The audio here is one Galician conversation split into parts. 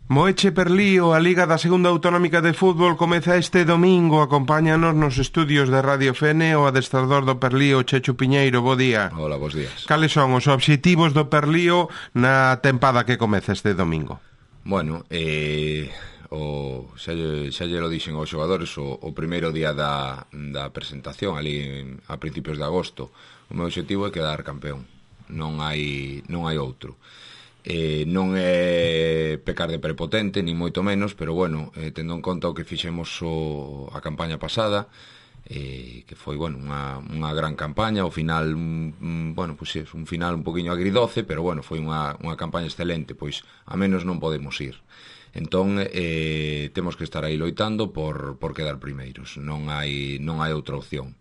Moeche Perlío, a Liga da Segunda Autonómica de Fútbol comeza este domingo. Acompáñanos nos estudios de Radio Fene o adestrador do Perlío, Chechu Piñeiro. Bo día. Hola, bos días. Cales son os obxectivos do Perlío na tempada que comeza este domingo? Bueno, xa lle lo dixen aos xogadores o primeiro día da presentación, ali a principios de agosto. O meu obxectivo é quedar campeón. Non hai outro. Non é pecar de prepotente, ni moito menos, pero bueno, tendo en conta o que fixemos a campaña pasada, que foi, bueno, unha gran campaña, ao final, bueno, pois é un final un poquinho agridoce, pero bueno, foi unha campaña excelente, pois a menos non podemos ir. Entón, temos que estar aí loitando por quedar primeiros, non hai outra opción.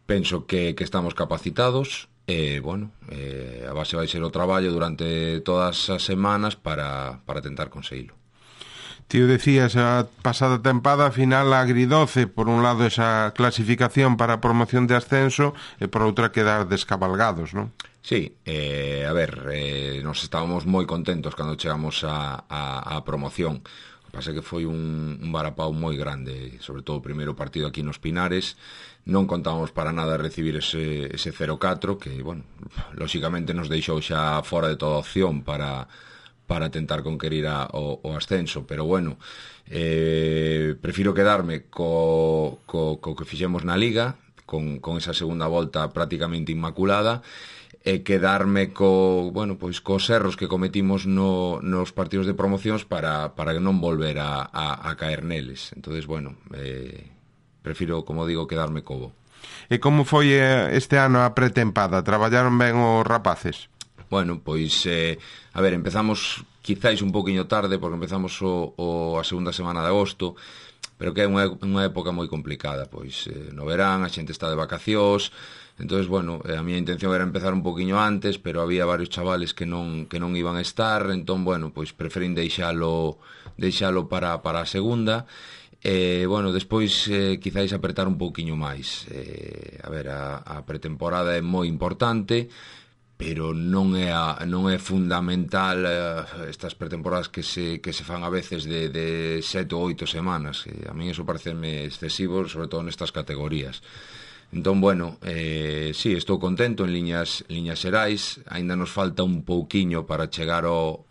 Penso que estamos capacitados. Bueno, a base vai ser o traballo durante todas as semanas para tentar conseguilo. Tío, decías, a pasada tempada final agridoce, por un lado esa clasificación para a promoción de ascenso e por outra quedar descabalgados, non? Sí, a ver, nos estábamos moi contentos cando chegamos a promoción. O que pasa é que foi un varapau moi grande, sobre todo o primeiro partido aquí nos Pinares. Non contábamos para nada recibir ese 0-4 que, bueno, lóxicamente nos deixou xa fora de toda opción para tentar conquerir o ascenso, pero bueno, prefiro quedarme co que fixemos na Liga, con esa segunda volta prácticamente inmaculada, e quedarme bueno, pois cos erros que cometimos nos partidos de promocións para non volver a caer neles. Entonces, bueno, prefiro, como digo, quedarme co bo. E como foi este ano a pretempada? Traballaron ben os rapaces? Bueno, pois, a ver, empezamos quizáis un poquinho tarde, porque empezamos a segunda semana de agosto, pero que é unha época moi complicada, pois no verán, a xente está de vacacións, entonces, bueno, a miña intención era empezar un poquinho antes, pero había varios chavales que non iban a estar, entón, bueno, pois preferín deixalo para a segunda. Bueno, despois quizáis apretar un pouquiño máis. A ver, a pretemporada é moi importante, pero non é fundamental estas pretemporadas que se fan a veces de 7 ou 8 semanas. A mí eso pareceme excesivo, sobre todo nestas categorías. Entón, bueno, sí, estou contento en liñas xerais. Aínda nos falta un pouquiño para chegar ao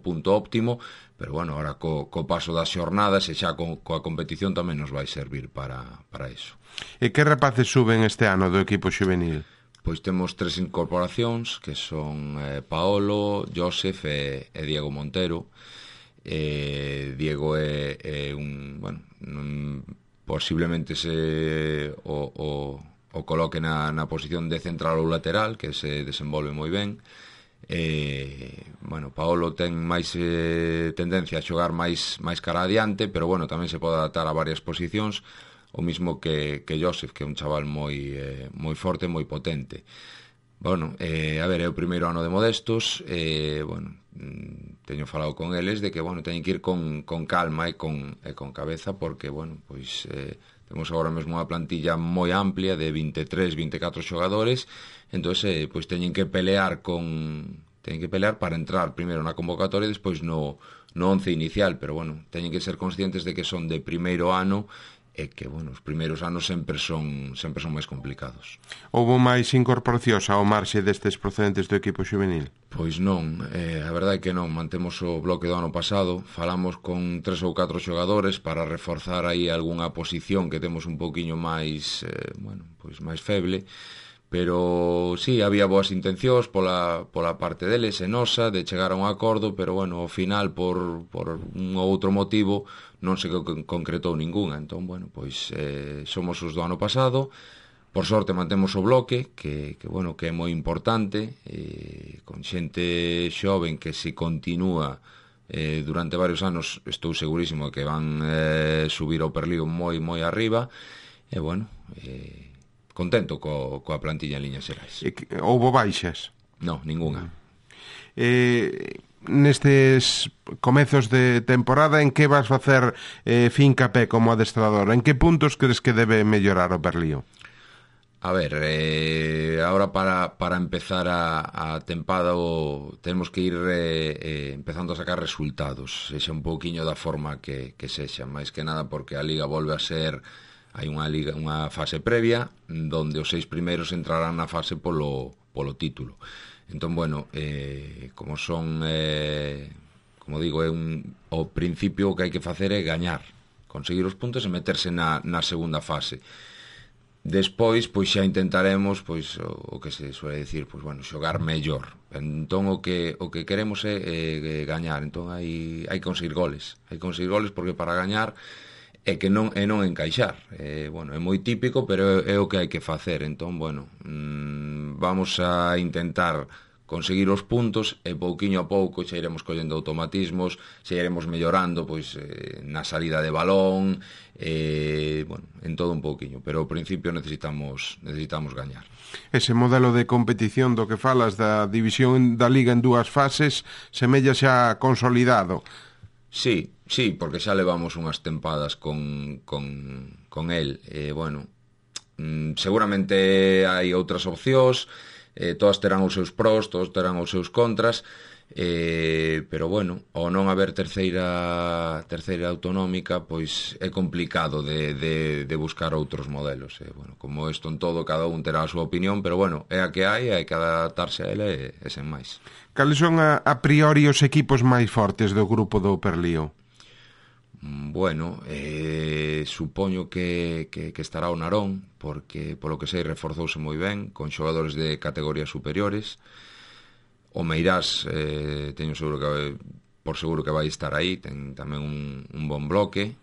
punto óptimo, pero bueno, ahora co paso das xornadas e xa coa competición tamén nos vai servir para eso. E que rapaces suben este ano do equipo xuvenil? Pois temos 3 incorporacións, que son Paolo, Josef e Diego Montero. Diego é un, bueno, posiblemente o coloque na posición de central ou lateral, que se desenvolve moi ben. Bueno, Paolo ten máis tendencia a xogar máis cara adiante, pero bueno, tamén se pode adaptar a varias posicións, o mismo que Josef, que é un chaval moi forte, moi potente. Bueno, a ver, é o primeiro ano de Modestos, bueno, teño falado con eles de que, bueno, teñen que ir con calma e con cabeza, porque, bueno, pois temos agora mesmo unha plantilla moi amplia de 23, 24 xogadores, entón, pois teñen que pelear para entrar primeiro na convocatoria e despois no 11 inicial, pero, bueno, teñen que ser conscientes de que son de primeiro ano e que, bueno, os primeiros anos sempre son máis complicados. Houbo máis incorporacións ao marxe destes procedentes do equipo xuvenil? Pois non, a verdade é que non. Mantemos o bloque do ano pasado, falamos con 3 ou 4 xogadores para reforzar aí algunha posición que temos un pouquiño máis, bueno, pois máis feble, pero sí, había boas intencións pola parte deles e nosa de chegar a un acordo, pero bueno, ao final por un ou outro motivo non se concretou ningunha. Entón, bueno, pois somos os do ano pasado. Por sorte mantemos o bloque, que bueno, que é moi importante, con xente xoven que se continúa durante varios anos, estou segurísimo que van subir ao Perlío moi arriba, e bueno, contento coa plantilla en liñas xerais. Houbo baixas? Non, ningunha. Nestes comezos de temporada, en que vas facer fincapé como adestrador? En que puntos crees que debe mellorar o Perlío? A ver, ahora para empezar a tempada temos que ir empezando a sacar resultados, sexa un pouquiño da forma que sexa, máis que nada porque a Liga volve a ser, hai unha fase previa donde os 6 primeiros entrarán na fase polo título. Entón, bueno, como son, como digo, ao principio o que hai que facer é gañar, conseguir os puntos e meterse na segunda fase. Despois, pois xa intentaremos, pois o que se suele dicir, pois bueno, xogar mellor. Entón o que queremos é gañar. Entón hai que conseguir goles. Hai que conseguir goles porque para gañar é que non encaixar. Bueno, é moi típico, pero é o que hai que facer. Entón, bueno, vamos a intentar conseguir os puntos e pouquiño a pouco xa iremos collendo automatismos, xa iremos mellorando pois na salida de balón, bueno, en todo un pouquiño, pero ao principio necesitamos gañar. Ese modelo de competición do que falas da división da Liga en 2 fases semella xa consolidado. Sí, porque xa levamos unhas tempadas con el, bueno, seguramente hai outras opcións, todas terán os seus pros, todos terán os seus contras, pero bueno, ao non haber terceira autonómica, pois é complicado de buscar outros modelos. Bueno, como isto en todo, cada un terá a súa opinión, pero bueno, é a que hai que adaptarse a ela e sen máis. Cales son a priori os equipos máis fortes do grupo do Perlío? Bueno, supoño que estará o Narón, porque polo que sei reforzouse moi ben con xogadores de categorías superiores. O Meirás teño por seguro que vai estar aí, ten tamén un bon bloque.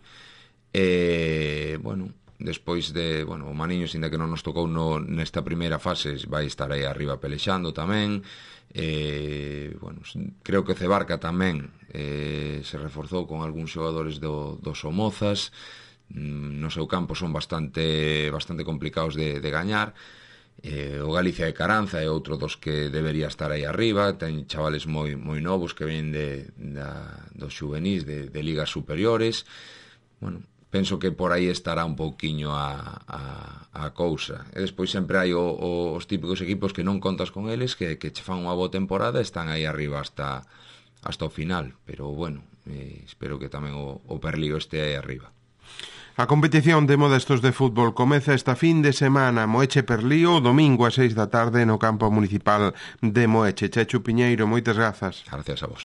Bueno, despois o Maniños, ainda que non nos tocou nesta primeira fase, vai estar aí arriba pelexando tamén. Bueno, creo que Cebarca tamén se reforzou con algúns xogadores do Somozas. No seu campo son bastante complicados de gañar. O Galicia de Caranza é outro dos que debería estar aí arriba, ten chavales moi novos que ven dos xuvenís de ligas superiores. Bueno, penso que por aí estará un pouquiño a cousa. E despois sempre hai os típicos equipos que non contas con eles, que che fan unha boa temporada e están aí arriba hasta o final, pero bueno, espero que tamén o Perlío este aí arriba. A competición de Modestos de fútbol comeza esta fin de semana. Moeche Perlío, domingo a 6 da tarde no campo municipal de Moeche. Chechu Piñeiro, moitas grazas. Gracias a vos.